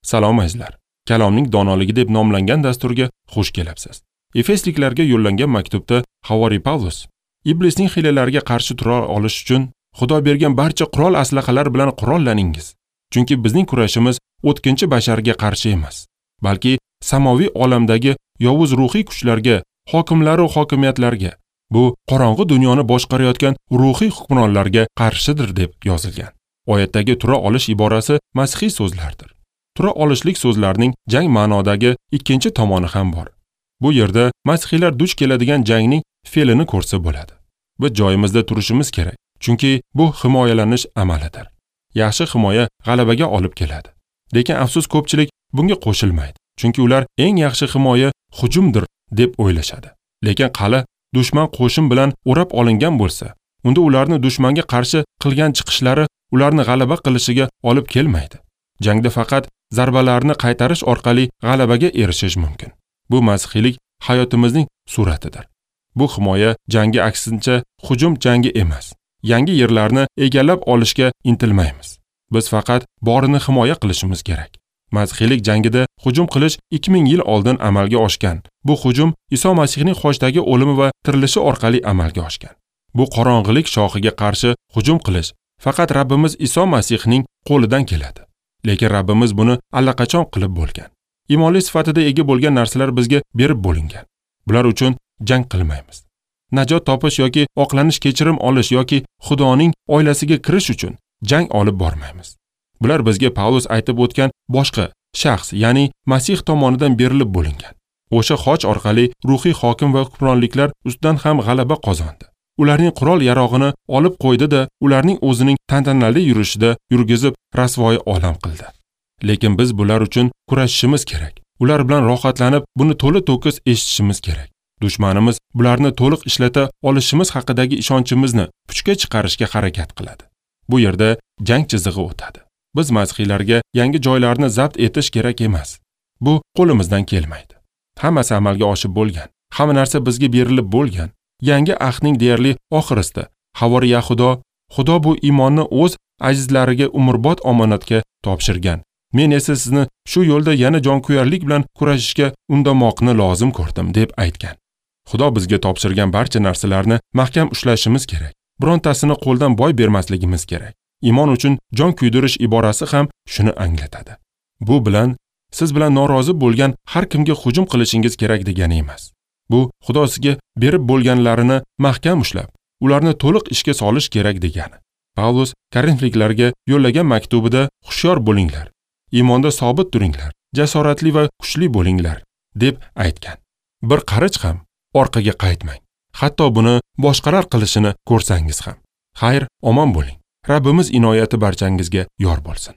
Salom azizlar. Kalomning donoligi deb nomlangan dasturga xush kelibsiz. Efesliklarga yo'llangan maktubda Havoriy Pavlus iblisning hiylalariga qarshi tura olish uchun Xudo bergan barcha qurol aslahalar bilan qurollaningiz. Chunki bizning kurashimiz o'tkinchi basharga qarshi emas, balki samoviy olamdagi yovuz ruhiy kuchlarga, hokimlar va hokimiyatlarga, bu qorong'i dunyoni boshqarayotgan ruhiy hukmronlarga qarshidir deb yozilgan. Oyatdagi tura olish iborasi masihiy so'zlardir. Tura olishlik so'zlarining jang ma'nodagi ikkinchi tomoni ham bor. Bu yerda masihiylar duch keladigan jangning fe'lini ko'rsa bo'ladi. Biz joyimizda turishimiz kerak, chunki bu himoyalanish amalidir. Yaxshi himoya g'alabaga olib keladi. Lekin afsus ko'pchilik bunga qo'shilmaydi, chunki ular eng yaxshi himoya hujumdir deb o'ylashadi. Lekin qala dushman qo'shin bilan o'rab olingan bo'lsa, unda ularni dushmanga qarshi qilgan chiqishlari ularni g'alaba qilishiga olib kelmaydi. Jangda faqat zarbalarni qaytarish orqali g'alabaga erishish mumkin. Bu masihiylik hayotimizning suratidir. Bu himoya jangi aksincha hujum jangi emas. Yangi yerlarni egallab olishga intilmaymiz. Biz faqat borini himoya qilishimiz kerak. Masihiylik jangida hujum qilish 2000 yil oldin amalga oshgan. Bu hujum Iso Masihning xochdagi o'limi va tirilishi orqali amalga oshgan. Bu qorong'ilik shoxiga qarshi hujum qilish faqat Rabbimiz Iso Masihning qo'lidan keladi. Lekin Rabbimiz buni allaqachon qilib bo'lgan. Imonli sifatida ega bo'lgan narsalar bizga berib bo'lingan. Bular uchun jang qilmaymiz. Najot topish yoki oqlanish, kechirim olish yoki Xudoning oilasiga kirish uchun jang olib bormaymiz. Bular bizga Pavlus aytib o'tgan boshqa shaxs, ya'ni Masih tomonidan berilib bo'lingan. O'sha xoch orqali ruhiy hokim va hukmronliklar ustidan ham g'alaba qozondi. Ularning qurol yarog'ini olib qo'ydi-da, ularning o'zining tantanali yurishida yurgizib rasvoyi olam qildi. Lekin biz bular uchun kurashishimiz kerak. Ular bilan rohatlanib, buni to'la to'kis eshitishimiz kerak. Dushmanimiz bularni to'liq ishlata olishimiz haqidagi ishonchimizni puchga chiqarishga harakat qiladi. Bu yerda jang chizig'i o'tadi. Biz masihiylarga yangi joylarni zabt etish kerak emas. Bu qo'limizdan kelmaydi. Hammasi amalga oshib bo'lgan. Hamma narsa bizga berilib bo'lgan. Yangi ahdning deyarli oxirisida Havoriy Yahudo, Xudo bu iymonni o'z azizlariga umrbod omonatga topshirgan. Men esa sizni shu yo'lda yana jonkuyarlik bilan kurashishga undamoqni lozim ko'rdim deb aytgan. Xudo bizga topshirgan barcha narsalarni mahkam ushlashimiz kerak. Birontasini qo'ldan boy bermasligimiz kerak. Iymon uchun jon kuydirish iborasi ham shuni anglatadi. Bu bilan siz bilan norozi bo'lgan har kimga hujum qilishingiz kerak degani emas. Bu Xudo sizga berib bo'lganlarini mahkam ushlab, ularni to'liq ishga solish kerak degani. Pavlus Korinfliklarga yo'llagan maktubida hushyor bo'linglar, iymonda sobit turinglar, jasoratli va kuchli bo'linglar deb aytgan. Bir qarich ham orqaga qaytmang. Hatto buni boshqalar qilishini ko'rsangiz ham. Xayr, omon bo'ling. Rabbimiz inoyati barchangizga yor bo'lsin.